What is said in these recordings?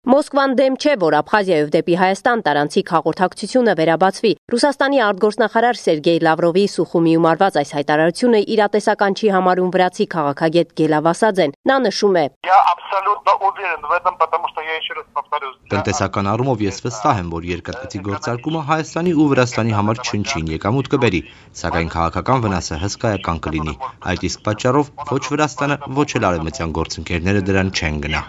Մոսկվան դեմ չէ, որ Աբխազիայով դեպի Հայաստան տարանցիկ հաղորդակցությունը վերաբացվի։ Ռուսաստանի արտգործնախարար Սերգեյ Լավրովի Սուխումիում արված այս հայտարարությունը իրատեսական չի համարում վրացի քաղաքագետ Գելա Վասաձեն։ Նա նշում է. Տնտեսական առումով ես վստահ եմ, որ երկաթգծի գործարկումը Հայաստանի ու Վրաստանի համար չնչին եկամուտ կբերի, սակայն քաղաքական վնասը հսկայական կլինի։ Այդ իսկ պատճառով ոչ Վրաստանը, ոչ էլ արևմտյան գործընկերները դրան չեն գնա։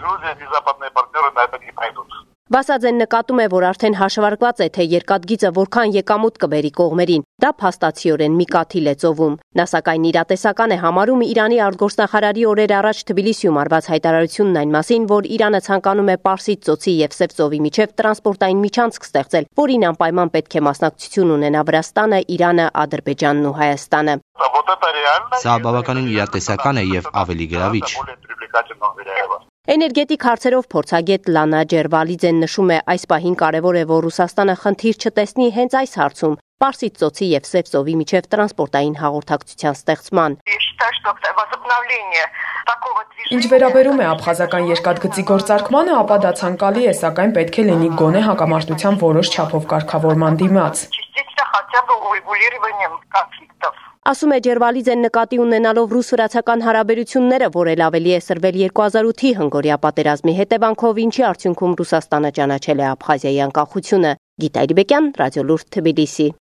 Վասաձեն նկատում է, որ արդեն հաշվարկված է, թե երկաթգիծը որքան եկամուտ կբերի կողմերին։ Դա փաստացիորեն մի կաթիլ է ծովում։ Նա սակայն իրատեսական է համարում Իրանի արտգործնախարարի օրեր առաջ Թբիլիսիում արված հայտարարությունն այն մասին, որ Իրանը ցանկանում է Պարսից ծոցի եւ Սև ծովի միջև տրանսպորտային միջանցք ստեղծել, որին անպայման պետք է մասնակցություն ունենա Վրաստանը, Իրանը, Ադրբեջանն ու Հայաստանը։ Սա բավականին իրատեսական է եւ ավելի գրավիչ։ Էներգետիկ հարցերով փորձագետ Լանա Ջերվալիձեն նշում է, այս պահին կարևոր է, որ Ռուսաստանը խնդիր չտեսնի հենց այս հարցում՝ Պարսից ծոցի եւ Սև ծովի միջև տրանսպորտային հաղորդակցության ստեղծման։ Ինչ վերաբերում է աբխազական երկաթգծի գործարկմանը, ապա դա ցանկալի է, սակայն պետք է լինի գոնե հակամարտության որոշ չափով կարգավորման դիմաց։ Ասում է Ջերվալիձեն նկատի ունենալով ռուս-վրացական հարաբերությունները, որ էլ ավելի է սրվել 2008-ի հնգորիա պատերազմի հետևանքով, ինչի արդյունքում Ռուսաստանը ճանաչել է Աբխազիայի անկախությունը։ Գիտա Իրբեկյան, Ռադիոլուրդ, Թբիլիսի։